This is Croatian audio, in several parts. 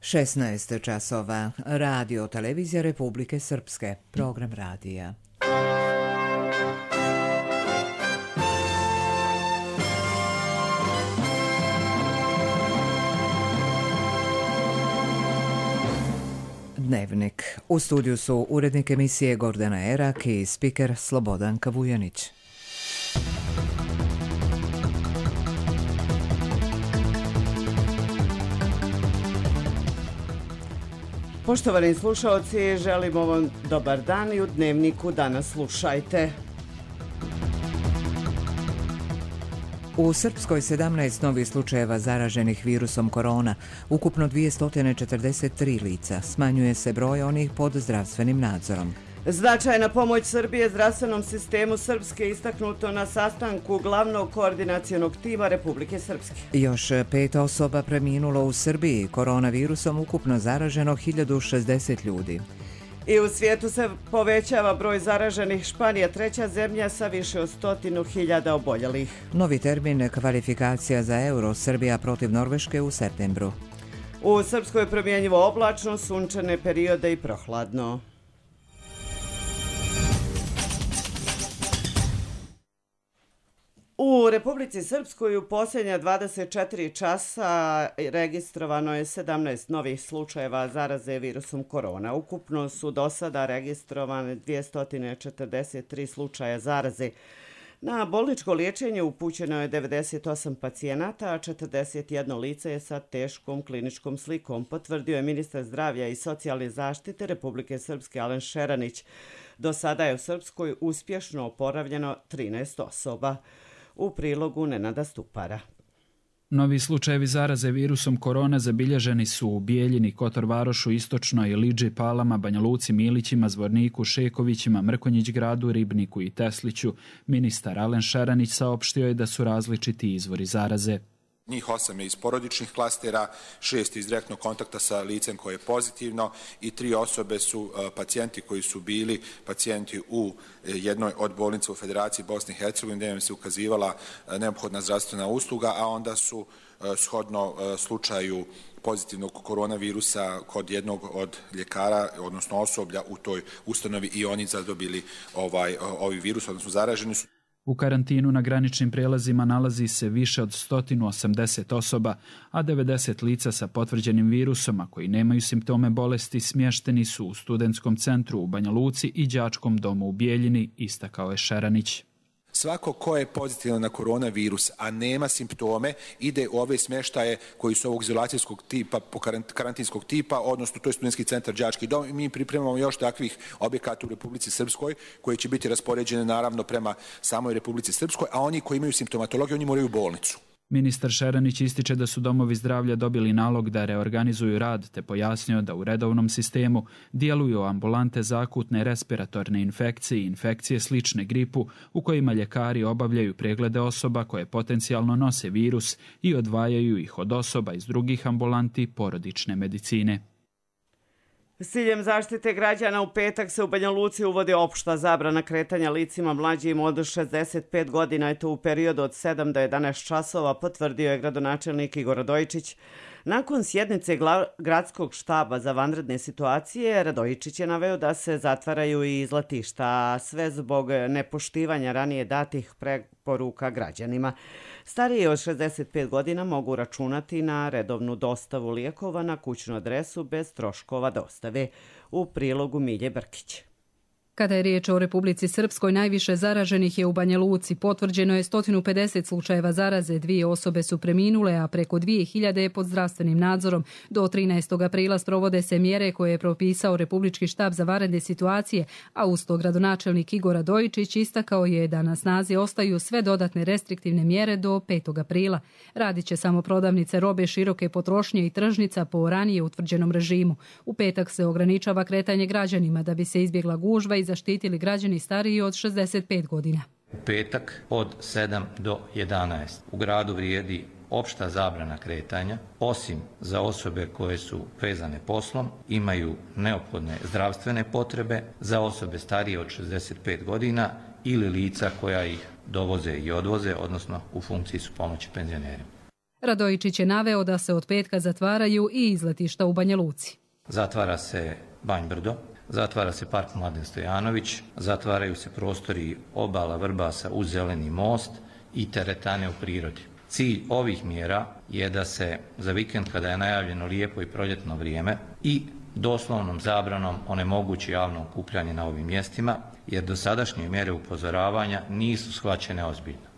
16 časova. Radio televizija Republike Srpske. Program radija. Dnevnik. U studiju su urednik emisije Gordana Erak i spiker Slobodan Kavujanić. Poštovani slušalci, želimo vam dobar dan i u Dnevniku danas slušajte. U Srpskoj 17 novih slučajeva zaraženih virusom korona, ukupno 243 lica, smanjuje se broj onih pod zdravstvenim nadzorom. Značajna pomoć Srbije zdravstvenom sistemu Srpske istaknuto na sastanku glavnog koordinacionog tima Republike Srpske. Još 5 osoba preminulo u Srbiji, koronavirusom ukupno zaraženo 1060 ljudi. I u svijetu se povećava broj zaraženih. Španija, treća zemlja sa više od 100.000 oboljelih. Novi termin kvalifikacija za euro, Srbija protiv Norveške u septembru. U Srpskoj promjenjivo oblačno, sunčane periode i prohladno. U Republici Srpskoj u posljednja 24 časa registrovano je 17 novih slučajeva zaraze virusom korona. Ukupno su do sada registrovane 243 slučaja zaraze. Na bolničko liječenje upućeno je 98 pacijenata, a 41 lice je sa teškom kliničkom slikom, potvrdio je ministar zdravlja i socijalne zaštite Republike Srpske Alen Šeranić. Do sada je u Srpskoj uspješno oporavljeno 13 osoba. U prilogu Nenada Stupara. Novi slučajevi zaraze virusom korona zabilježeni su u Bijeljini, Kotor Varošu, Istočnoj, Liđi, Palama, Banja Luci, Milićima, Zvorniku, Šekovićima, Mrkonjić Gradu, Ribniku i Tesliću. Ministar Alen Šeranić saopštio je da su različiti izvori zaraze. Njih 8 je iz porodičnih klastera, 6 iz direktnog kontakta sa licem koje je pozitivno i 3 osobe su pacijenti koji su bili pacijenti u jednoj od bolnica u Federaciji Bosne i Hercegovine gdje im se ukazivala neophodna zdravstvena usluga, a onda su shodno slučaju pozitivnog koronavirusa kod jednog od ljekara, odnosno osoblja u toj ustanovi i oni zadobili ovaj virus, odnosno zaraženi su. U karantinu na graničnim prijelazima nalazi se više od 180 osoba, a 90 lica sa potvrđenim virusom, a koji nemaju simptome bolesti, smješteni su u studentskom centru u Banja Luci i đačkom domu u Bijeljini, istakao je Šeranić. Svako ko je pozitivan na koronavirus, a nema simptome, ide u ove smještaje koji su ovog izolacijskog tipa, karantinskog tipa, odnosno to je studentski centar, đački dom. Mi pripremamo još takvih objekata u Republici Srpskoj koji će biti raspoređeni naravno prema samoj Republici Srpskoj, a oni koji imaju simptomatologiju, oni moraju u bolnicu. Ministar Šeranić ističe da su domovi zdravlja dobili nalog da reorganizuju rad, te pojasnio da u redovnom sistemu djeluju ambulante za akutne respiratorne infekcije i infekcije slične gripu, u kojima ljekari obavljaju preglede osoba koje potencijalno nose virus i odvajaju ih od osoba iz drugih ambulanti porodične medicine. S ciljem zaštite građana u petak se u Banja Luci uvodi opšta zabrana kretanja licima mlađim od 65 godina, i to u periodu od 7 do 11 časova, potvrdio je gradonačelnik Igor Radojičić. Nakon sjednice gradskog štaba za vanredne situacije, Radojičić je naveo da se zatvaraju i izletišta, a sve zbog nepoštivanja ranije datih preporuka građanima. Stariji od 65 godina mogu računati na redovnu dostavu lijekova na kućnu adresu bez troškova dostave. U prilogu Milje Brkić. Kada je riječ o Republici Srpskoj, najviše zaraženih je u Banja Luci. Potvrđeno je 150 slučajeva zaraze, 2 osobe su preminule, a preko 2000 je pod zdravstvenim nadzorom. Do 13. aprila sprovode se mjere koje je propisao Republički štab za vanredne situacije, a uz to gradonačelnik Igor Radojičić istakao je da na snazi ostaju sve dodatne restriktivne mjere do 5. aprila. Radit će samo prodavnice robe široke potrošnje i tržnica po ranije utvrđenom režimu. U petak se ograničava kretanje građanima da bi se izbjegla gužva i zaštitili građani stariji od 65 godina. U petak od 7 do 11 u gradu vrijedi opšta zabrana kretanja, osim za osobe koje su vezane poslom, imaju neophodne zdravstvene potrebe, za osobe starije od 65 godina ili lica koja ih dovoze i odvoze, odnosno u funkciji su pomoći penzionerima. Radojičić je naveo da se od petka zatvaraju i izletišta u Banja Luci. Zatvara se Banj Brdo, zatvara se Park Mladen Stojanović, zatvaraju se prostori obala Vrbasa uz Zeleni most i teretane u prirodi. Cilj ovih mjera je da se za vikend, kada je najavljeno lijepo i proljetno vrijeme, i doslovnom zabranom onemogući javno okupljanje na ovim mjestima, jer dosadašnje mjere upozoravanja nisu shvaćene ozbiljno.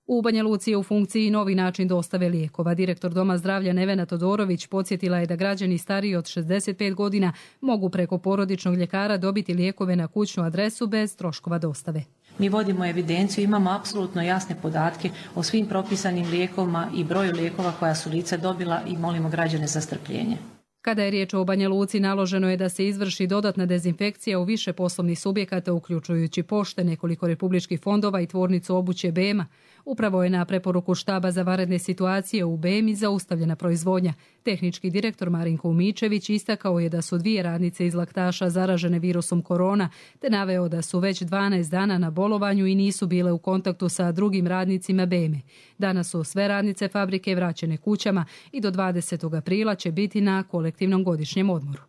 U Banja Luci je u funkciji novi način dostave lijekova. Direktor Doma zdravlja Nevena Todorović podsjetila je da građani stariji od 65 godina mogu preko porodičnog ljekara dobiti lijekove na kućnu adresu bez troškova dostave. Mi vodimo evidenciju, imamo apsolutno jasne podatke o svim propisanim lijekovima i broju lijekova koja su lica dobila i molimo građane za strpljenje. Kada je riječ o Banja Luci, naloženo je da se izvrši dodatna dezinfekcija u više poslovnih subjekata, uključujući pošte, nekoliko republičkih fondova i tvornicu obuće BEM-a. Upravo je na preporuku štaba za vanredne situacije u BEM-i zaustavljena proizvodnja. Tehnički direktor Marinko Umičević istakao je da su 2 radnice iz Laktaša zaražene virusom korona, te naveo da su već 12 dana na bolovanju i nisu bile u kontaktu sa drugim radnicima BEM-e. Danas su sve radnice fabrike vraćene kućama i do 20. aprila će biti na kolektivnom godišnjem odmoru.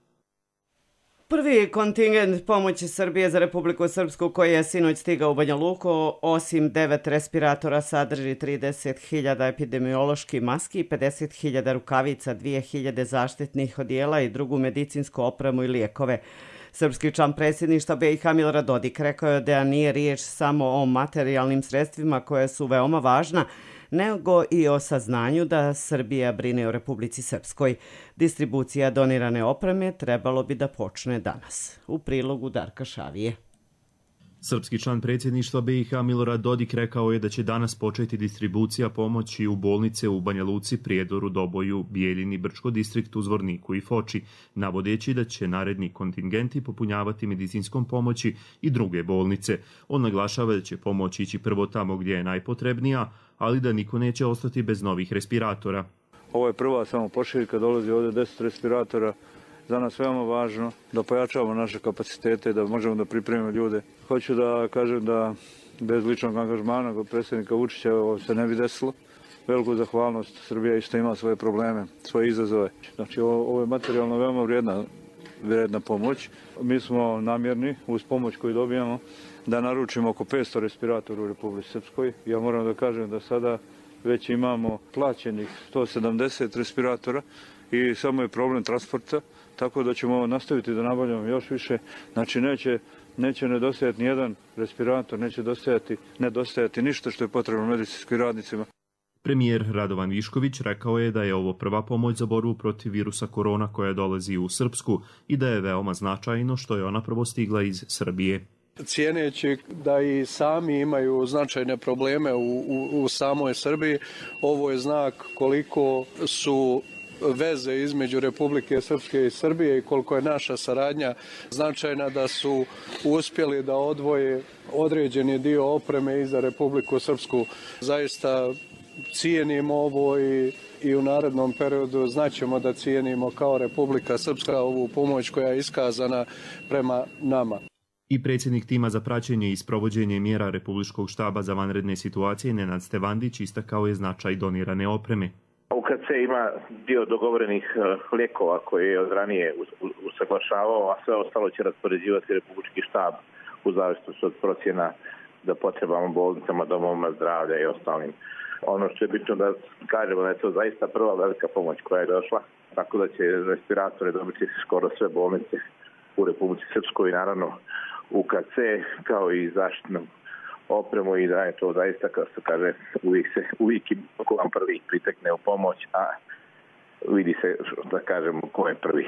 Prvi kontingent pomoći Srbije za Republiku Srpsku koji je sinoć stigao u Banja Luku, osim 9 respiratora, sadrži 30.000 epidemioloških maski, 50.000 rukavica, 2.000 zaštitnih odijela i drugu medicinsku opremu i lijekove. Srpski član predsjedništva BiH Milorad Dodik rekao je da nije riječ samo o materijalnim sredstvima koje su veoma važna, nego i o saznanju da Srbija brine o Republici Srpskoj. Distribucija donirane opreme trebalo bi da počne danas. U prilogu Darka Šavije. Srpski član predsjedništva BiH Milorad Dodik rekao je da će danas početi distribucija pomoći u bolnice u Banja Luci, Prijedoru, Doboju, Bijeljini, Brčko distriktu, Zvorniku i Foči, navodeći da će naredni kontingenti popunjavati medicinskom pomoći i druge bolnice. On naglašava da će pomoć ići prvo tamo gdje je najpotrebnija, ali da niko neće ostati bez novih respiratora. Ovo je prva samo pošiljka, dolazi ovdje 10 respiratora. Za nas veoma važno da pojačavamo naše kapacitete, da možemo da pripremimo ljude. Hoću da kažem da bez ličnog angažmana kod predsjednika Vučića ovo se ne bi desilo. Veliku zahvalnost, Srbija isto ima svoje probleme, svoje izazove. Znači ovo je materijalno veoma vrijedna pomoć. Mi smo namjerni uz pomoć koju dobijamo da naručimo oko 500 respiratora u Republici Srpskoj. Ja moram da kažem da sada već imamo plaćenih 170 respiratora i samo je problem transporta, tako da ćemo nastaviti da nabavljamo još više. Znači neće nedostajati nijedan respirator, neće nedostajati ništa što je potrebno medicinskim radnicima. Premijer Radovan Višković rekao je da je ovo prva pomoć za borbu protiv virusa korona koja dolazi u Srpsku i da je veoma značajno što je ona prvo stigla iz Srbije. Cijeneći da i sami imaju značajne probleme u samoj Srbiji, ovo je znak koliko su veze između Republike Srpske i Srbije i koliko je naša saradnja značajna, da su uspjeli da odvoje određeni dio opreme i za Republiku Srpsku. Zaista cijenimo ovo i u narednom periodu znaćemo da cijenimo kao Republika Srpska ovu pomoć koja je iskazana prema nama. I predsjednik tima za praćenje i sprovođenje mjera Republičkog štaba za vanredne situacije Nenad Stevandić istakao je značaj donirane opreme. UKC ima dio dogovorenih lijekova koje je od ranije usaglašavao, a sve ostalo će raspoređivati Republički štab u zavisnosti od procjena da potrebamo bolnicama, domovima zdravlja i ostalim. Ono što je bitno da kažemo da je to zaista prva velika pomoć koja je došla, tako da će respiratore dobiti skoro sve bolnice u Republici Srpskoj i naravno UKC kao i zaštitnu opremu i da je to zaista, kao se kaže, uvijek ko vam prvi pritekne u pomoć, a vidi se, da kažemo, ko je prvi.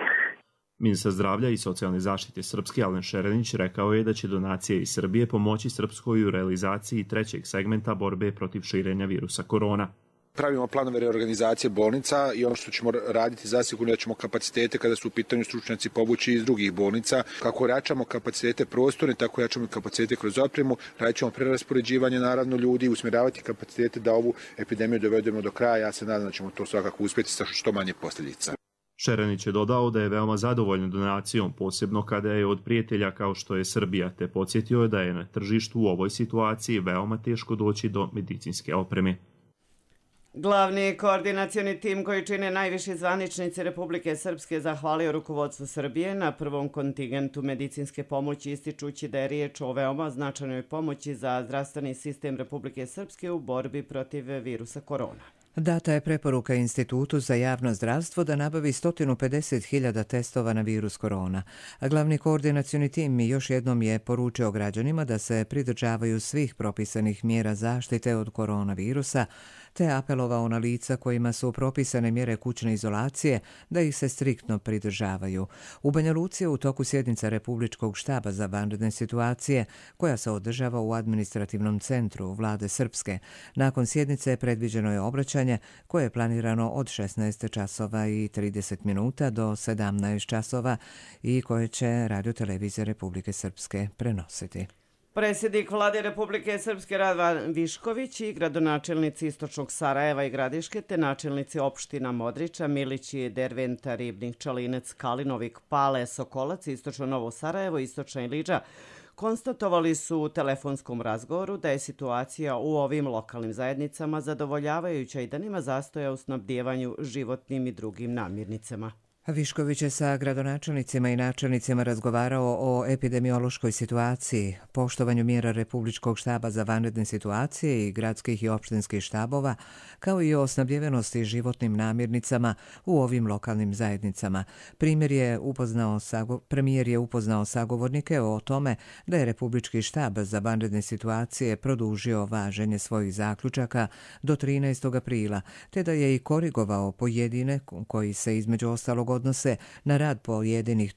Ministar zdravlja i socijalne zaštite Srpske Alen Šerenić rekao je da će donacije iz Srbije pomoći Srpskoj u realizaciji trećeg segmenta borbe protiv širenja virusa korona. Pravimo planove reorganizacije bolnica i ono što ćemo raditi zasigurno da ćemo kapacitete kada su u pitanju stručnjaci povući iz drugih bolnica. Kako jačamo kapacitete prostorne, tako jačamo kapacitete kroz opremu, radit ćemo preraspoređivanje naravno ljudi, usmjeravati kapacitete da ovu epidemiju dovedemo do kraja. Ja se nadam da ćemo to svakako uspjeti sa što manje posljedica. Šerenić je dodao da je veoma zadovoljan donacijom, posebno kada je od prijatelja kao što je Srbija, te podsjetio je da je na tržištu u ovoj situaciji veoma teško doći do medicinske opreme. Glavni koordinacioni tim koji čine najviši zvaničnici Republike Srpske zahvalio rukovodstvu Srbije na prvom kontingentu medicinske pomoći, ističući da je riječ o veoma značajnoj pomoći za zdravstveni sistem Republike Srpske u borbi protiv virusa korona. Data je preporuka Institutu za javno zdravstvo da nabavi 150.000 testova na virus korona. A glavni koordinacioni tim još jednom je poručio građanima da se pridržavaju svih propisanih mjera zaštite od koronavirusa, te apelovao na lica kojima su propisane mjere kućne izolacije da ih se striktno pridržavaju. U Banja Luci je u toku sjednica Republičkog štaba za vanredne situacije koja se održava u administrativnom centru Vlade Srpske. Nakon sjednice predviđeno je obraćanje koje je planirano od 16 časova i 30 minuta do 17 časova i koje će Radio-televizija Republike Srpske prenositi. Predsjednik Vlade Republike Srpske Radovan Višković i gradonačelnici Istočnog Sarajeva i Gradiške te načelnici opština Modriča, Milići, Derventa, Ribnik, Čalinec, Kalinovik, Pale, Sokolac, Istočno Novo Sarajevo, Istočna Iliđa konstatovali su u telefonskom razgovoru da je situacija u ovim lokalnim zajednicama zadovoljavajuća i da nema zastoja u snabdijevanju životnim i drugim namirnicama. Višković je sa gradonačelnicima i načelnicima razgovarao o epidemiološkoj situaciji, poštovanju mjera Republičkog štaba za vanredne situacije i gradskih i opštinskih štabova, kao i o snabdjevenosti životnim namirnicama u ovim lokalnim zajednicama. Premijer je upoznao sagovornike o tome da je Republički štab za vanredne situacije produžio važenje svojih zaključaka do 13. aprila, te da je i korigovao pojedine koji se između ostalog odnose na rad pojedinih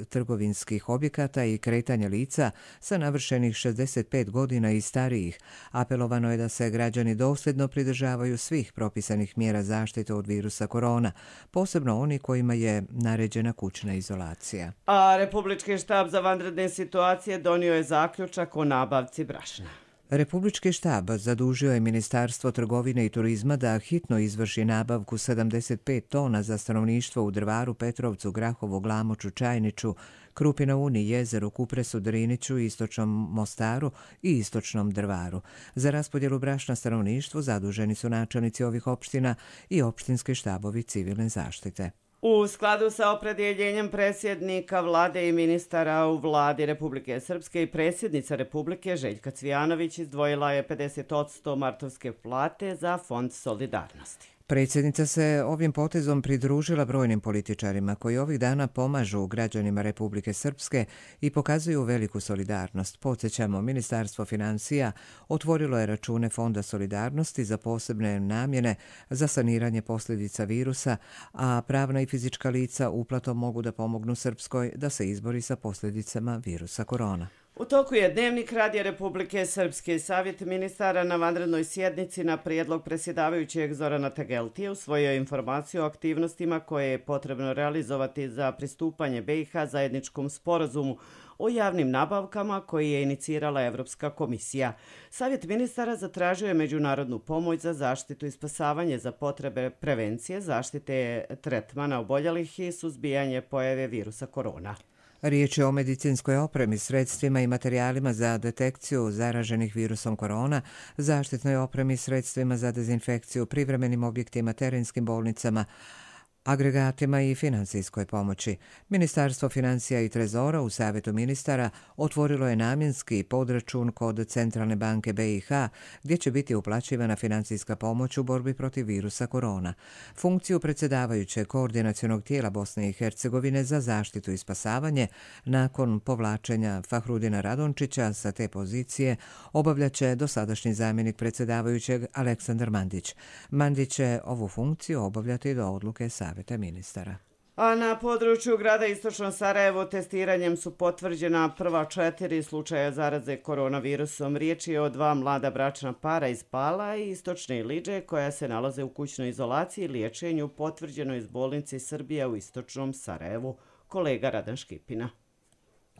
trgovinskih objekata i kretanje lica sa navršenih 65 godina i starijih. Apelovano je da se građani dosljedno pridržavaju svih propisanih mjera zaštite od virusa korona, posebno oni kojima je naređena kućna izolacija. A Republički štab za vanredne situacije donio je zaključak o nabavci brašna. Republički štab zadužio je Ministarstvo trgovine i turizma da hitno izvrši nabavku 75 tona za stanovništvo u Drvaru, Petrovcu, Grahovu, Glamoču, Čajniču, Krupi na Uni, Jezeru, Kupresu, Driniću, Istočnom Mostaru i Istočnom Drvaru. Za raspodjelu brašna stanovništvu zaduženi su načelnici ovih opština i opštinski štabovi civilne zaštite. U skladu sa opredjeljenjem predsjednika vlade i ministara u vladi Republike Srpske i predsjednica Republike Željka Cvijanović izdvojila je 50% martovske plate za Fond solidarnosti. Predsjednica se ovim potezom pridružila brojnim političarima koji ovih dana pomažu građanima Republike Srpske i pokazuju veliku solidarnost. Podsjećamo, Ministarstvo financija otvorilo je račune Fonda solidarnosti za posebne namjene za saniranje posljedica virusa, a pravna i fizička lica uplatom mogu da pomognu Srpskoj da se izbori sa posljedicama virusa korona. U toku je Dnevnik Radija Republike Srpske. Savjet ministara na vanrednoj sjednici na prijedlog predsjedavajućeg Zorana Tegeltije usvojio informaciju o aktivnostima koje je potrebno realizovati za pristupanje BiH zajedničkom sporazumu o javnim nabavkama koji je inicirala Evropska komisija. Savjet ministara zatražio je međunarodnu pomoć za zaštitu i spasavanje za potrebe prevencije, zaštite tretmana oboljelih i suzbijanje pojave virusa korona. Riječ je o medicinskoj opremi, sredstvima i materijalima za detekciju zaraženih virusom korona, zaštitnoj opremi, sredstvima za dezinfekciju, privremenim objektima, terenskim bolnicama, agregatima i financijskoj pomoći. Ministarstvo financija i trezora u Savjetu ministara otvorilo je namjenski podračun kod Centralne banke BiH gdje će biti uplaćivana financijska pomoć u borbi protiv virusa korona. Funkciju predsjedavajućeg koordinacionog tijela Bosne i Hercegovine za zaštitu i spasavanje nakon povlačenja Fahrudina Radončića sa te pozicije obavljaće dosadašnji zamjenik predsjedavajućeg Aleksandar Mandić. Mandić će ovu funkciju obavljati do odluke Savjeta ministara. A na području grada Istočno Sarajevo testiranjem su potvrđena prva 4 slučaja zaraze koronavirusom. Riječ je o 2 mlada bračna para iz Pala i Istočne Iliđe koja se nalaze u kućnoj izolaciji i liječenju potvrđeno iz bolnice Srbija u Istočnom Sarajevu. Kolega Radan Škipina.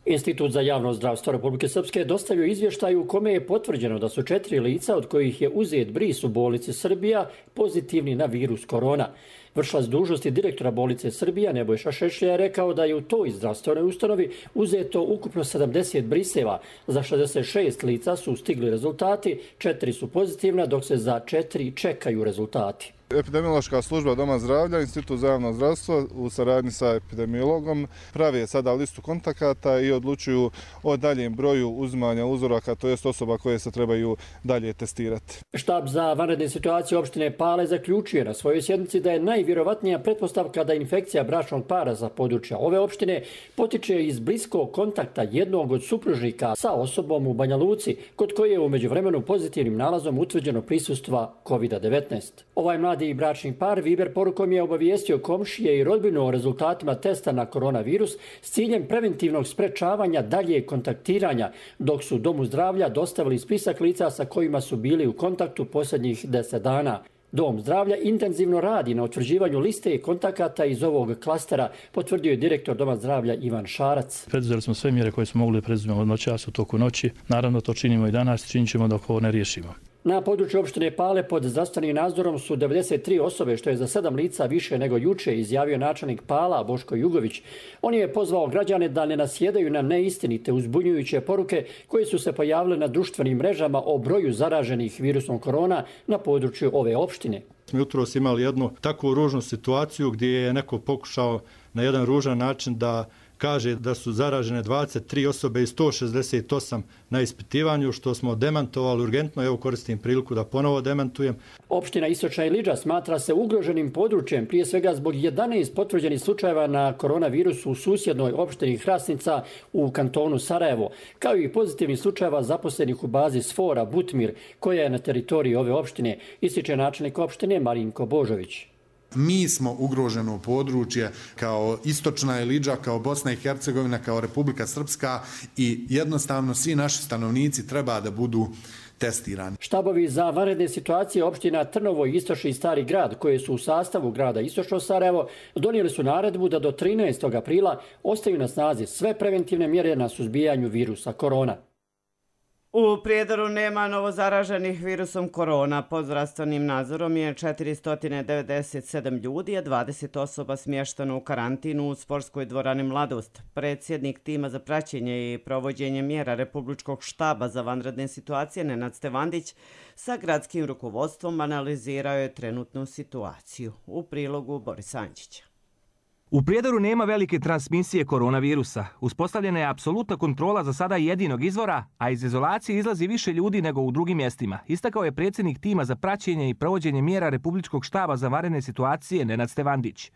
Institut za javno zdravstvo Republike Srpske dostavio izvještaj u kome je potvrđeno da su 4 lica od kojih je uzet bris u bolnici Srbija pozitivni na virus korona. Vršilac dužnosti direktora bolnice Srbija Nebojša Šešlja je rekao da je u toj zdravstvenoj ustanovi uzeto ukupno 70 briseva. Za 66 lica su stigli rezultati, 4 su pozitivna, dok se za 4 čekaju rezultati. Epidemiološka služba Doma zdravlja, Institut za javno zdravstvo u saradnji sa epidemiologom prave sada listu kontakata i odlučuju o daljem broju uzimanja uzoraka, to jest osoba koje se trebaju dalje testirati. Štab za vanredne situacije opštine Pale zaključuje na svojoj sjednici da je najvjerovatnija pretpostavka da infekcija bračnog para za područja ove opštine potiče iz bliskog kontakta jednog od supružnika sa osobom u Banja Luci, kod koje je u međuvremenu pozitivnim nalazom utvrđeno prisustva COVID-19. Ovaj mladi bračni par Viber porukom je obavijestio komšije i rodbinu o rezultatima testa na koronavirus s ciljem preventivnog sprečavanja dalje kontaktiranja, dok su Domu zdravlja dostavili spisak lica sa kojima su bili u kontaktu posljednjih 10 dana. Dom zdravlja intenzivno radi na utvrđivanju liste kontakata iz ovog klastera, potvrdio je direktor Doma zdravlja Ivan Šarac. Preduzeli smo sve mjere koje smo mogli da preduzmemo od noćas u toku noći. Naravno to činimo i danas, činit ćemo dok ovo ne riješimo. Na području opštine Pale pod zdravstvenim nadzorom su 93 osobe, što je za 7 lica više nego juče, izjavio načelnik Pala Boško Jugović. On je pozvao građane da ne nasjedaju na neistinite uzbunjujuće poruke koje su se pojavile na društvenim mrežama o broju zaraženih virusom korona na području ove opštine. Mi jutros imali jednu takvu ružnu situaciju gdje je neko pokušao na jedan ružan način da kaže da su zaražene 23 osobe i 168 na ispitivanju, što smo demantovali urgentno. Evo koristim priliku da ponovo demantujem. Opština Istočna Ilidža smatra se ugroženim područjem, prije svega zbog 11 potvrđenih slučajeva na koronavirusu u susjednoj opštini Hrasnica u kantonu Sarajevo, kao i pozitivnih slučajeva zaposlenih u bazi Sfora Butmir, koja je na teritoriji ove opštine, ističe načelnik opštine Marinko Božović. Mi smo ugroženo područje kao Istočna Ilidža, kao Bosna i Hercegovina, kao Republika Srpska i jednostavno svi naši stanovnici treba da budu testirani. Štabovi za vanredne situacije opština Trnovo i Istočni Stari grad, koje su u sastavu grada Istočno Sarajevo, donijeli su naredbu da do 13. aprila ostaju na snazi sve preventivne mjere na suzbijanju virusa korona. U Prijedoru nema novozaraženih virusom korona. Pod zdravstvenim nadzorom je 497 ljudi, a 20 osoba smješteno u karantinu u sportskoj dvorani Mladost. Predsjednik tima za praćenje i provođenje mjera Republičkog štaba za vanredne situacije Nenad Stevandić sa gradskim rukovodstvom analizirao je trenutnu situaciju. U prilogu Boris Anđića. U Prijedoru nema velike transmisije koronavirusa. Uspostavljena je apsolutna kontrola za sada jedinog izvora, a iz izolacije izlazi više ljudi nego u drugim mjestima, istakao je predsjednik tima za praćenje i provođenje mjera Republičkog štaba za vanredne situacije Nenad Stevandić.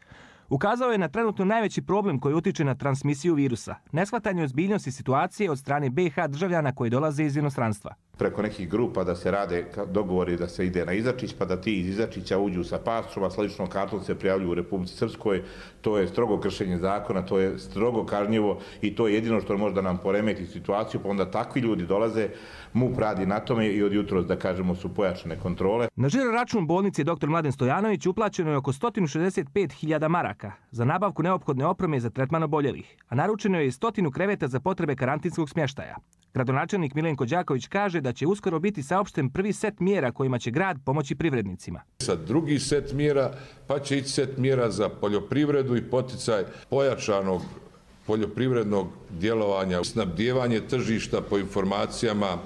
Ukazao je na trenutno najveći problem koji utiče na transmisiju virusa, neshvatanje ozbiljnosti situacije od strane BiH državljana koji dolaze iz inostranstva. Preko nekih grupa da se rade dogovori da se ide na Izačić, pa da ti iz Izačića uđu sa pasom, a s ličnom kartom se prijavljuju u Republici Srpskoj. To je strogo kršenje zakona, to je strogo kažnjivo i to je jedino što može da nam poremeti situaciju, pa onda takvi ljudi dolaze, MUP radi na tome i od jutros, da kažemo, su pojačane kontrole. Na žiro račun bolnice dr. Mladen Stojanović uplaćeno je oko 165.000 maraka za nabavku neophodne opreme za tretman oboljelih, a naručeno je i 100 kreveta za potrebe karantinskog smještaja. Gradonačelnik Milenko Đaković kaže da će uskoro biti saopšten prvi set mjera kojima će grad pomoći privrednicima. Sad drugi set mjera, pa će ići set mjera za poljoprivredu i poticaj pojačanog poljoprivrednog djelovanja. Snabdijevanje tržišta po informacijama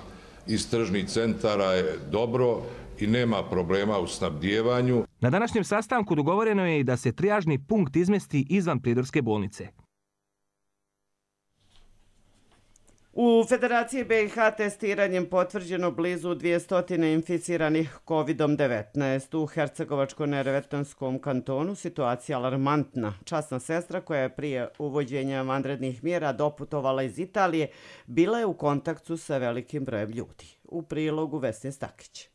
iz tržnih centara je dobro i nema problema u snabdijevanju. Na današnjem sastanku dogovoreno je i da se trijažni punkt izmesti izvan Prijedorske bolnice. U Federaciji BiH testiranjem potvrđeno blizu 200 inficiranih COVID-19. U Hercegovačko-neretvanskom kantonu situacija alarmantna. Časna sestra koja je prije uvođenja vanrednih mjera doputovala iz Italije bila je u kontaktu sa velikim brojem ljudi. U prilogu Vesne Stakić.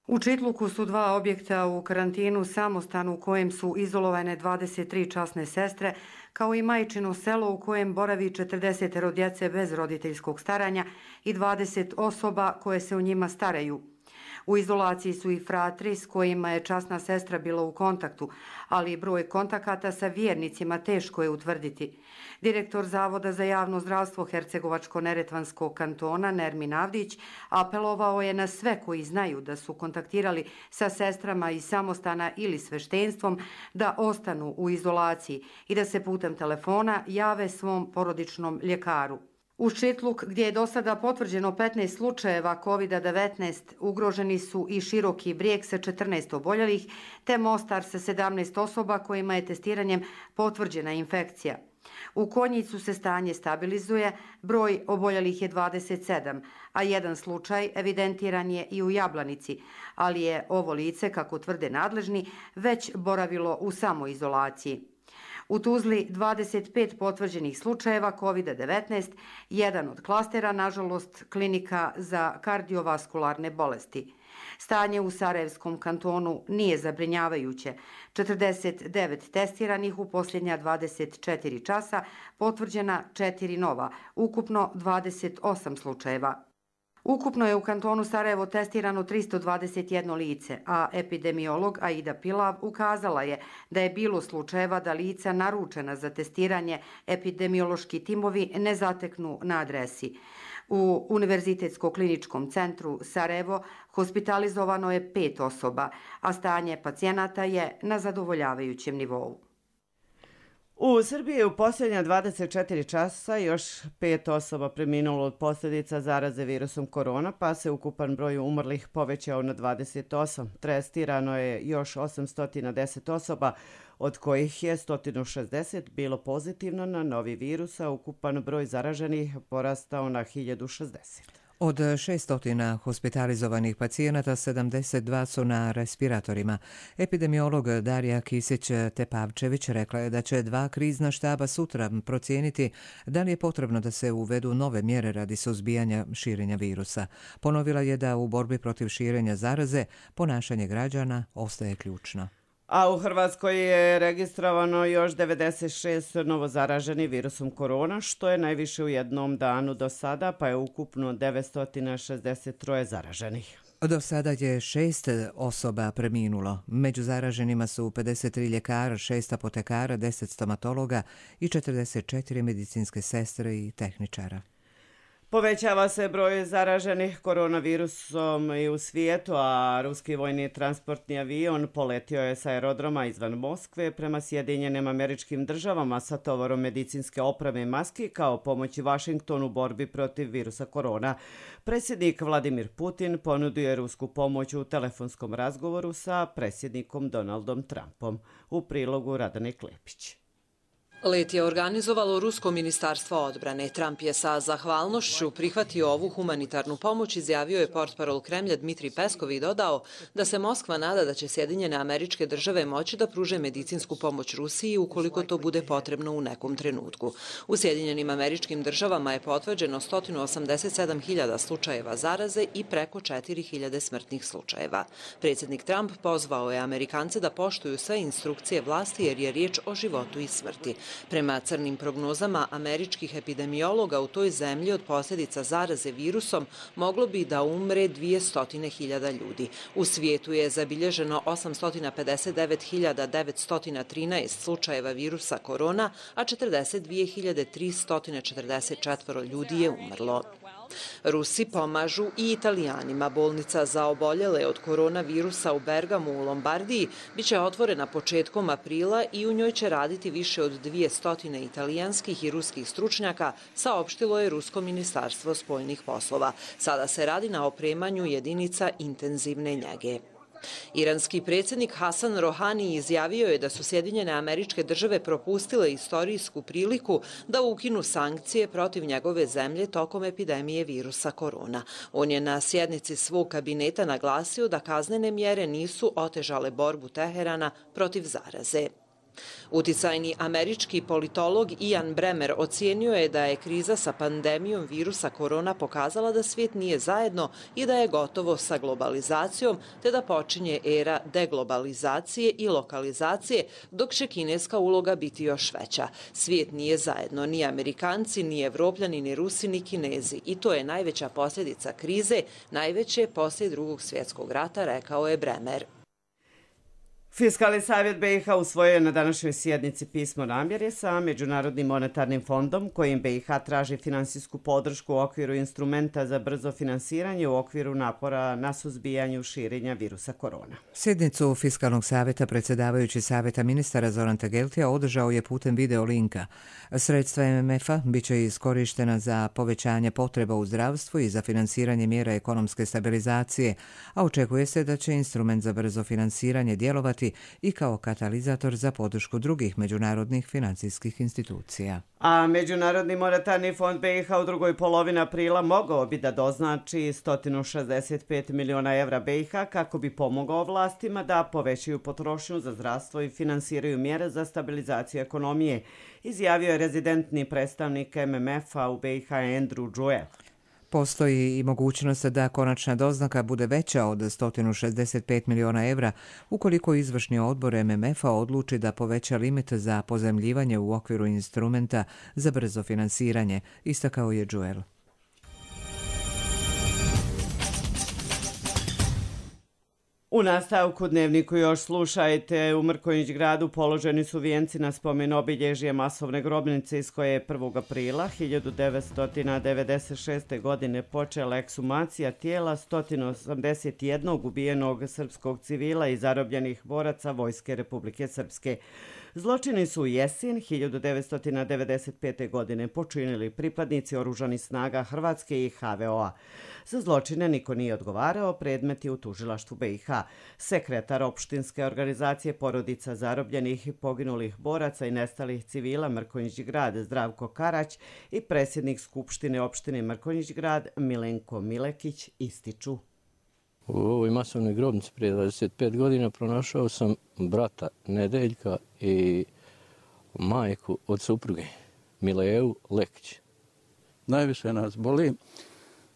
U Čitluku su 2 objekta u karantinu, samostan u kojem su izolovane 23 časne sestre, kao i majčino selo u kojem boravi 40 djece bez roditeljskog staranja i 20 osoba koje se o njima staraju. U izolaciji su i fratri s kojima je časna sestra bila u kontaktu, ali broj kontakata sa vjernicima teško je utvrditi. Direktor Zavoda za javno zdravstvo Hercegovačko-neretvanskog kantona Nermin Avdić apelovao je na sve koji znaju da su kontaktirali sa sestrama iz samostana ili sveštenstvom da ostanu u izolaciji i da se putem telefona jave svom porodičnom ljekaru. U Čitluk, gdje je do sada potvrđeno 15 slučajeva COVID-19, ugroženi su i Široki Brijeg sa 14 oboljelih, te Mostar sa 17 osoba kojima je testiranjem potvrđena infekcija. U Konjicu se stanje stabilizuje, broj oboljelih je 27, a jedan slučaj evidentiran je i u Jablanici, ali je ovo lice, kako tvrde nadležni, već boravilo u samoizolaciji. U Tuzli 25 potvrđenih slučajeva COVID-19, jedan od klastera, nažalost, klinika za kardiovaskularne bolesti. Stanje u Sarajevskom kantonu nije zabrinjavajuće. 49 testiranih u posljednja 24 časa, potvrđena 4 nova, ukupno 28 slučajeva. Ukupno je u kantonu Sarajevo testirano 321 lice, a epidemiolog Aida Pilav ukazala je da je bilo slučajeva da lica naručena za testiranje epidemiološki timovi ne zateknu na adresi. U Univerzitetsko-kliničkom centru Sarajevo hospitalizovano je 5 osoba, a stanje pacijenata je na zadovoljavajućem nivou. U Srbiji je u posljednja 24 časa još 5 osoba preminulo od posljedica zaraze virusom korona, pa se ukupan broj umrlih povećao na 28. Testirano je još 810 osoba, od kojih je 160 bilo pozitivno na novi virus, a ukupan broj zaraženih porastao na 1060. Od 600 hospitalizovanih pacijenata, 72 su na respiratorima. Epidemiolog Darija Kisić-Tepavčević rekla je da će 2 krizna štaba sutra procijeniti da li je potrebno da se uvedu nove mjere radi suzbijanja širenja virusa. Ponovila je da u borbi protiv širenja zaraze ponašanje građana ostaje ključno. A u Hrvatskoj je registrovano još 96 novozaraženih virusom korona, što je najviše u jednom danu do sada, pa je ukupno 963 zaraženih. Do sada je 6 osoba preminulo. Među zaraženima su 53 ljekara, 6 apotekara, 10 stomatologa i 44 medicinske sestre i tehničara. Povećava se broj zaraženih koronavirusom i u svijetu, a ruski vojni transportni avion poletio je sa aerodroma izvan Moskve prema Sjedinjenim Američkim Državama sa tovarom medicinske opreme i maski kao pomoći Vašingtonu u borbi protiv virusa korona. Predsjednik Vladimir Putin ponudio je rusku pomoć u telefonskom razgovoru sa predsjednikom Donaldom Trumpom. U prilogu Radane Klepić. Let je organizovalo Rusko ministarstvo odbrane. Trump je sa zahvalnošću prihvatio ovu humanitarnu pomoć, izjavio je portparol Kremlja Dmitrij Peskov i dodao da se Moskva nada da će Sjedinjene Američke Države moći da pruže medicinsku pomoć Rusiji ukoliko to bude potrebno u nekom trenutku. U Sjedinjenim Američkim Državama je potvrđeno 187.000 slučajeva zaraze i preko 4.000 smrtnih slučajeva. Predsjednik Trump pozvao je Amerikance da poštuju sve instrukcije vlasti jer je riječ o životu i smrti. Prema crnim prognozama američkih epidemiologa u toj zemlji od posljedica zaraze virusom moglo bi da umre 200.000 ljudi. U svijetu je zabilježeno 859.913 slučajeva virusa korona, a 42.344 ljudi je umrlo. Rusi pomažu i Italijanima. Bolnica za oboljele od koronavirusa u Bergamu u Lombardiji biće otvorena početkom aprila i u njoj će raditi više od 200 italijanskih i ruskih stručnjaka, saopštilo je Rusko ministarstvo spoljnih poslova. Sada se radi na opremanju jedinica intenzivne njege. Iranski predsjednik Hasan Rohani izjavio je da su Sjedinjene Američke Države propustile istorijsku priliku da ukinu sankcije protiv njegove zemlje tokom epidemije virusa korona. On je na sjednici svog kabineta naglasio da kaznene mjere nisu otežale borbu Teherana protiv zaraze. Uticajni američki politolog Ian Bremmer ocijenio je da je kriza sa pandemijom virusa korona pokazala da svijet nije zajedno i da je gotovo sa globalizacijom, te da počinje era deglobalizacije i lokalizacije, dok će kineska uloga biti još veća. Svijet nije zajedno, ni Amerikanci, ni Evropljani, ni Rusi, ni Kinezi. I to je najveća posljedica krize, najveće poslije Drugog svjetskog rata, rekao je Bremer. Fiskalni savjet BiH usvojio je na današnjoj sjednici pismo namjere sa Međunarodnim monetarnim fondom kojim BiH traži finansijsku podršku u okviru instrumenta za brzo finansiranje u okviru napora na suzbijanju širenja virusa korona. Sjednicu Fiskalnog savjeta predsjedavajući savjeta ministara Zoran Tegeltija održao je putem video linka. Sredstva MMF-a bit će iskorištena za povećanje potreba u zdravstvu i za finansiranje mjera ekonomske stabilizacije, a očekuje se da će instrument za brzo finansiranje djelovati i kao katalizator za podršku drugih međunarodnih financijskih institucija. A Međunarodni monetarni fond BiH u drugoj polovini aprila mogao bi da doznači 165 miliona evra BiH kako bi pomogao vlastima da povećaju potrošnju za zdravstvo i finansiraju mjere za stabilizaciju ekonomije, izjavio je rezidentni predstavnik MMF-a u BiH Andrew Joe. Postoji i mogućnost da konačna doznaka bude veća od 165 miliona evra ukoliko izvršni odbor MMF-a odluči da poveća limit za pozajmljivanje u okviru instrumenta za brzo finansiranje, istakao je Joel. U nastavku dnevniku još slušajte, u Mrkonjić gradu položeni su vijenci na spomen obilježje masovne grobnice iz koje je 1. aprila 1996. godine počela ekshumacija tijela 181 ubijenog srpskog civila i zarobljenih boraca Vojske Republike Srpske. Zločini su u jesen 1995. godine počinili pripadnici oružanih snaga Hrvatske i HVO-a. Za zločine niko nije odgovarao, predmet je u tužilaštvu BiH. Sekretar opštinske organizacije porodica zarobljenih i poginulih boraca i nestalih civila Mrkonjić grad Zdravko Karać i predsjednik Skupštine opštine Mrkonjić grad Milenko Milekić ističu. U ovoj masovnoj grobnici prije 25 godina pronašao sam brata Nedeljka i majku od supruge Mileju Lekić. Najviše nas boli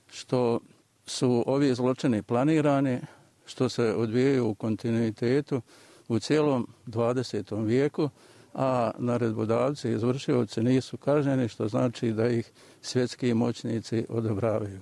što su ovi zločini planirani, što se odvijaju u kontinuitetu u cijelom 20. vijeku, a naredbodavci i izvršioci nisu kažnjeni, što znači da ih svjetski moćnici odobravaju.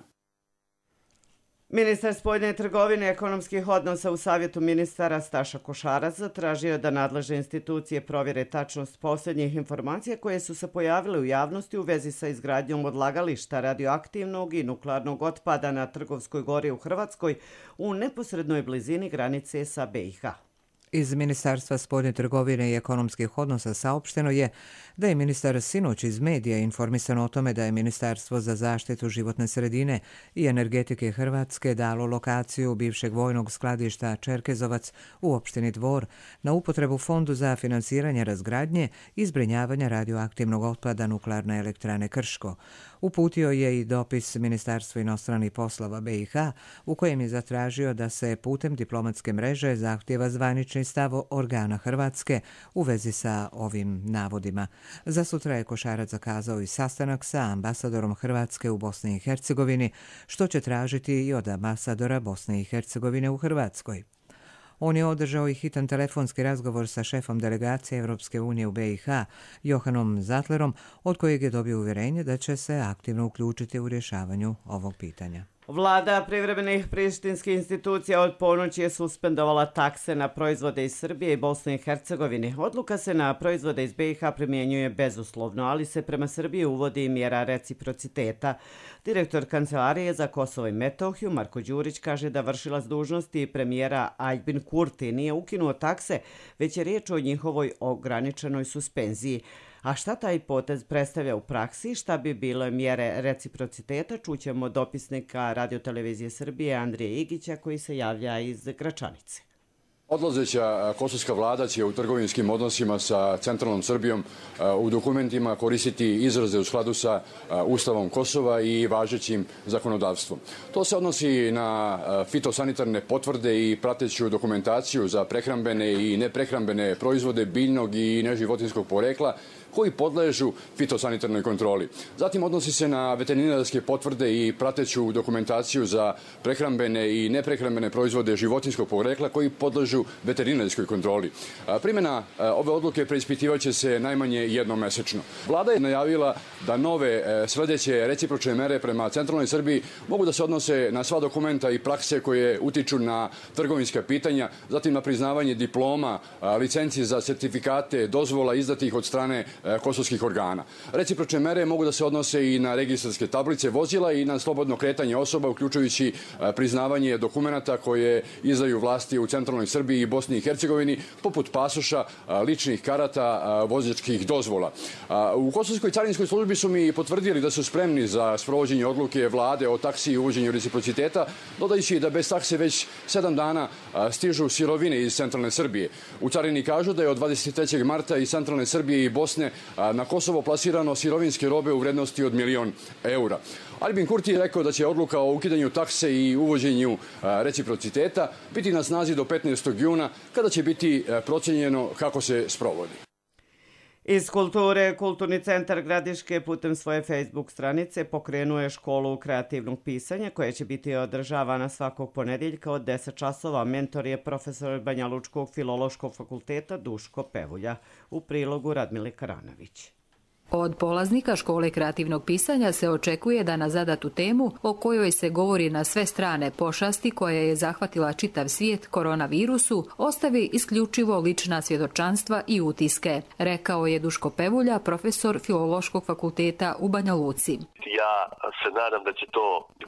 Ministar spoljne trgovine i ekonomskih odnosa u Savjetu ministara Staša Košarac zatražio da nadležne institucije provjere tačnost posljednjih informacija koje su se pojavile u javnosti u vezi sa izgradnjom odlagališta radioaktivnog i nuklearnog otpada na Trgovskoj gori u Hrvatskoj u neposrednoj blizini granice sa BiH. Iz Ministarstva spoljne trgovine i ekonomskih odnosa saopšteno je da je ministar sinoć iz medija informisan o tome da je Ministarstvo za zaštitu životne sredine i energetike Hrvatske dalo lokaciju bivšeg vojnog skladišta Čerkezovac u opštini Dvor na upotrebu Fondu za finansiranje razgradnje i zbrinjavanja radioaktivnog otpada Nuklearne elektrane Krško. Uputio je i dopis Ministarstvu inostranih poslova BiH u kojem je zatražio da se putem diplomatske mreže zahtjeva zvanični stav organa Hrvatske u vezi sa ovim navodima. Za sutra je Košarac zakazao i sastanak sa ambasadorom Hrvatske u Bosni i Hercegovini, što će tražiti i od ambasadora Bosne i Hercegovine u Hrvatskoj. On je održao i hitan telefonski razgovor sa šefom delegacije Europske unije u BiH, Johanom Zatlerom, od kojeg je dobio uvjerenje da će se aktivno uključiti u rješavanju ovog pitanja. Vlada privremenih prištinskih institucija od ponoći je suspendovala takse na proizvode iz Srbije i Bosne i Hercegovine. Odluka se na proizvode iz BiH primjenjuje bezuslovno, ali se prema Srbiji uvodi mjera reciprociteta. Direktor Kancelarije za Kosovo i Metohiju Marko Đurić kaže da vršilac dužnosti premijera Aljbin Kurti nije ukinuo takse, već je riječ o njihovoj ograničenoj suspenziji. A šta taj potez predstavlja u praksi, šta bi bilo mjere reciprociteta, čućemo dopisnika Radiotelevizije Srbije Andrije Igića koji se javlja iz Gračanice. Odlazeća kosovska vlada će u trgovinskim odnosima sa centralnom Srbijom u dokumentima koristiti izraze u skladu sa Ustavom Kosova i važećim zakonodavstvom. To se odnosi na fitosanitarne potvrde i prateću dokumentaciju za prehrambene i neprehrambene proizvode biljnog i neživotinskog porekla koji podležu fitosanitarnoj kontroli. Zatim odnosi se na veterinarske potvrde i prateću dokumentaciju za prehrambene i neprehrambene proizvode životinskog porekla koji podležu veterinarskoj kontroli. Primjena ove odluke preispitivaće se najmanje jednom mesečno. Vlada je najavila da nove sledeće recipročne mere prema centralnoj Srbiji mogu da se odnose na sva dokumenta i prakse koje utiču na trgovinska pitanja, zatim na priznavanje diploma, licenci za sertifikate, dozvola izdatih od strane kosovskih organa. Recipročne mere mogu da se odnose i na registarske tablice vozila i na slobodno kretanje osoba, uključujući priznavanje dokumenata koje izdaju vlasti u centralnoj Srbiji i Bosni i Hercegovini, poput pasoša, ličnih karata, vozačkih dozvola. U Kosovskoj carinskoj službi su mi potvrdili da su spremni za sprovođenje odluke vlade o taksi i uvođenju reciprociteta, dodajući da bez takse već 7 dana stižu sirovine iz centralne Srbije. U carini kažu da je od 23. marta iz centralne Srbije i Bosne na Kosovo plasirano sirovinske robe u vrednosti od 1.000.000 eura. Albin Kurti je rekao da će odluka o ukidanju takse i uvođenju reciprociteta biti na snazi do 15. juna, kada će biti procenjeno kako se sprovodi. Iz kulture, Kulturni centar Gradiške putem svoje Facebook stranice pokrenuo je školu kreativnog pisanja koja će biti održavana svakog ponedjeljka od 10 časova. Mentor je profesor Banjalučkog filološkog fakulteta Duško Pevulja. U prilogu Radmile Karanović. Od polaznika škole kreativnog pisanja se očekuje da na zadatu temu o kojoj se govori na sve strane pošasti koja je zahvatila čitav svijet koronavirusu ostavi isključivo lična svjedočanstva i utiske, rekao je Duško Pevulja, profesor Filološkog fakulteta u Banja Luci. Ja se nadam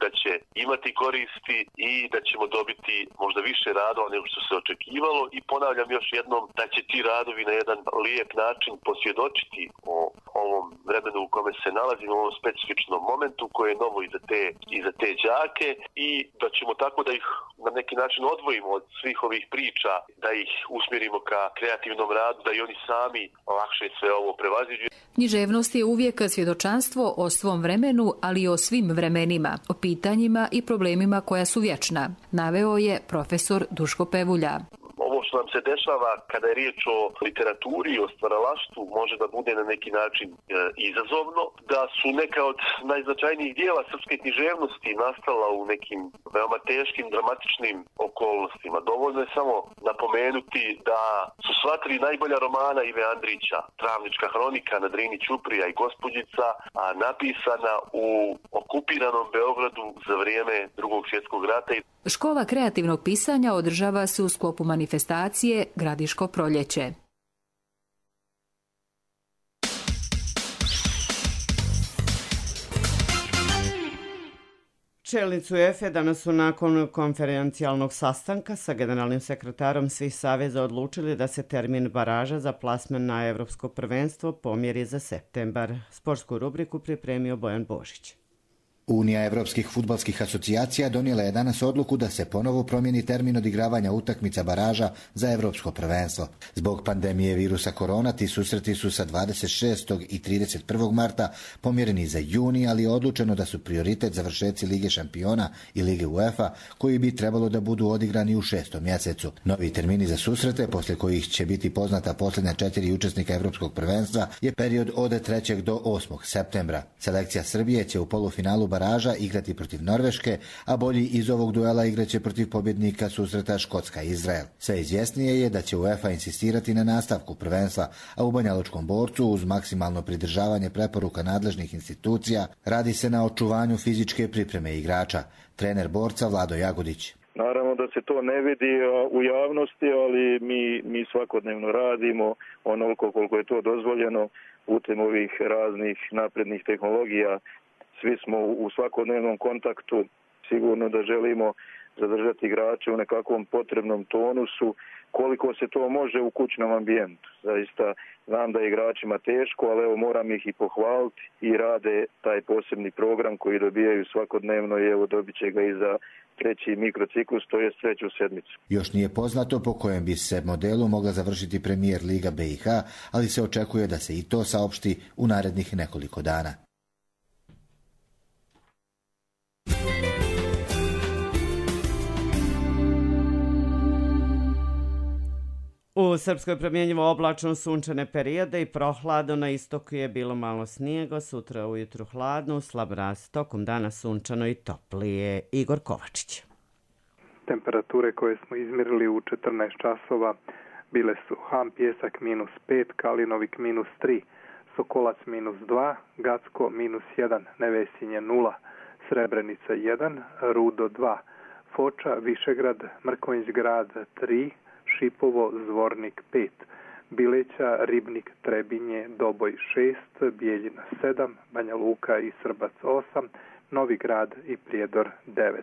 da će imati koristi i da ćemo dobiti možda više radova nego što se očekivalo i ponavljam još jednom da će ti radovi na jedan lijep način posvjedočiti o ovom vremenu u kome se nalazimo, u ovom specifičnom momentu koje je novo i za te đake i da ćemo tako da ih na neki način odvojimo od svih ovih priča, da ih usmjerimo ka kreativnom radu, da i oni sami lakše sve ovo prevaziđu. Književnost je uvijek svjedočanstvo o svom vremenu, ali i o svim vremenima, o pitanjima i problemima koja su vječna, naveo je profesor Duško Pevulja. Ovo što nam se dešava kada je riječ o literaturi i o stvaralaštvu može da bude na neki način izazovno, da su neka od najznačajnijih dijela srpske književnosti nastala u nekim veoma teškim, dramatičnim okolnostima. Dovoljno je samo napomenuti da su sva tri najbolja romana Ive Andrića, Travnička hronika, Na Drini ćuprija i Gospođica, napisana u okupiranom Beogradu za vrijeme Drugog svjetskog rata. Škola kreativnog pisanja održava se u sklopu manifestacije Gradiško proljeće. Čelnici UEFA danas su nakon konferencijalnog sastanka sa generalnim sekretarom svih saveza odlučili da se termin baraža za plasman na Evropsko prvenstvo pomjeri za septembar. Sportsku rubriku pripremio Bojan Božić. Unija evropskih fudbalskih asocijacija donijela je danas odluku da se ponovo promijeni termin odigravanja utakmica baraža za evropsko prvenstvo. Zbog pandemije virusa korona ti susreti su sa 26. i 31. marta pomjereni za juni, ali je odlučeno da su prioritet završetci Lige šampiona i Lige UEFA, koji bi trebalo da budu odigrani u 6. mjesecu. Novi termini za susrete, poslije kojih će biti poznata posljednja 4 učesnika evropskog prvenstva, je period od 3. do 8. septembra. Selekcija Srbije će u polufinalu baraža igrati protiv Norveške, a bolji iz ovog duela igraće protiv pobjednika susreta Škotska i Izrael. Sve izvjesnije je da će UEFA insistirati na nastavku prvenstva, a u Banjalučkom Borcu uz maksimalno pridržavanje preporuka nadležnih institucija radi se na očuvanju fizičke pripreme igrača. Trener Borca Vlado Jagodić. Naravno da se to ne vidi u javnosti, ali mi svakodnevno radimo onoliko koliko je to dozvoljeno putem ovih raznih naprednih tehnologija. Svi smo u svakodnevnom kontaktu, sigurno da želimo zadržati igrače u nekakvom potrebnom tonusu, koliko se to može u kućnom ambijentu. Zaista znam da je igračima teško, ali evo moram ih i pohvaliti i rade taj posebni program koji dobijaju svakodnevno i evo dobit će ga i za treći mikrociklus, to je treću sedmicu. Još nije poznato po kojem bi se modelu mogla završiti Premijer Liga BiH, ali se očekuje da se i to saopšti u narednih nekoliko dana. U Srpskoj promjenjivo oblačno sunčane periode i prohladno, na istoku je bilo malo snijega, sutra ujutru hladno, slab mraz, tokom dana sunčano i toplije. Igor Kovačić. Temperature koje smo izmjerili u 14 časova bile su Ham Pjesak -5, Kalinovik -3, Sokolac -2, Gacko -1, Nevesinje 0, Srebrenica 1, Rudo 2, Foča, Višegrad, Mrkonjić Grad 3, Šipovo, Zvornik 5, Bileća, Ribnik, Trebinje, Doboj 6, Bijeljina 7, Banja Luka i Srbac 8, Novi Grad i Prijedor 9.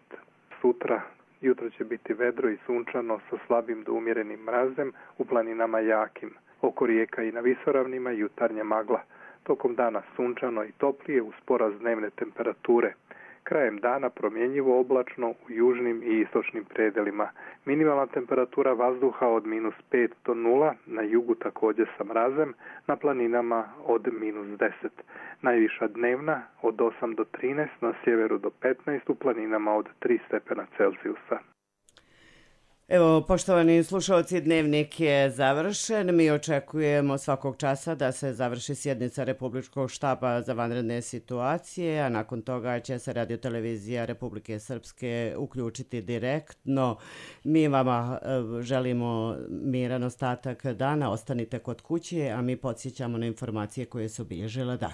Sutra jutro će biti vedro i sunčano sa slabim do umjerenim mrazem, u planinama jakim. Oko rijeka i na visoravnima jutarnja magla. Tokom dana sunčano i toplije uz porast dnevne temperature. Krajem dana promjenjivo oblačno u južnim i istočnim predelima. Minimalna temperatura vazduha od -5 do 0, na jugu također sa mrazem, na planinama od -10. Najviša dnevna od 8 do 13, na sjeveru do 15, u planinama od 3 stepena Celzijusa. Evo, poštovani slušalci, dnevnik je završen. Mi očekujemo svakog časa da se završi sjednica Republičkog štaba za vanredne situacije, a nakon toga će se radiotelevizija Republike Srpske uključiti direktno. Mi vama želimo miran ostatak dana, ostanite kod kuće, a mi podsjećamo na informacije koje su obilježile dan.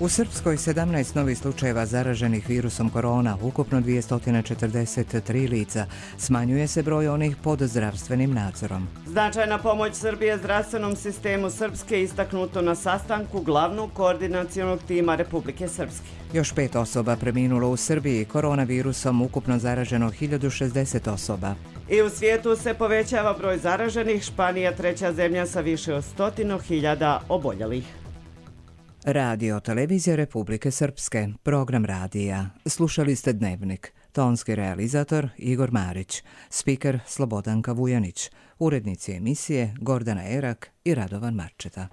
U Srpskoj 17 novih slučajeva zaraženih virusom korona, ukupno 243 lica. Smanjuje se broj onih pod zdravstvenim nadzorom. Značajna pomoć Srbije zdravstvenom sistemu Srpske istaknuto na sastanku glavnog koordinacionog tima Republike Srpske. Još 5 osoba preminulo u Srbiji, koronavirusom ukupno zaraženo 1060 osoba. I u svijetu se povećava broj zaraženih, Španija treća zemlja sa više od 100.000 oboljelih. Radio Televizija Republike Srpske, program radija. Slušali ste Dnevnik. Tonski realizator Igor Marić, spiker Slobodanka Vujanić, urednici emisije Gordana Erak i Radovan Marčeta.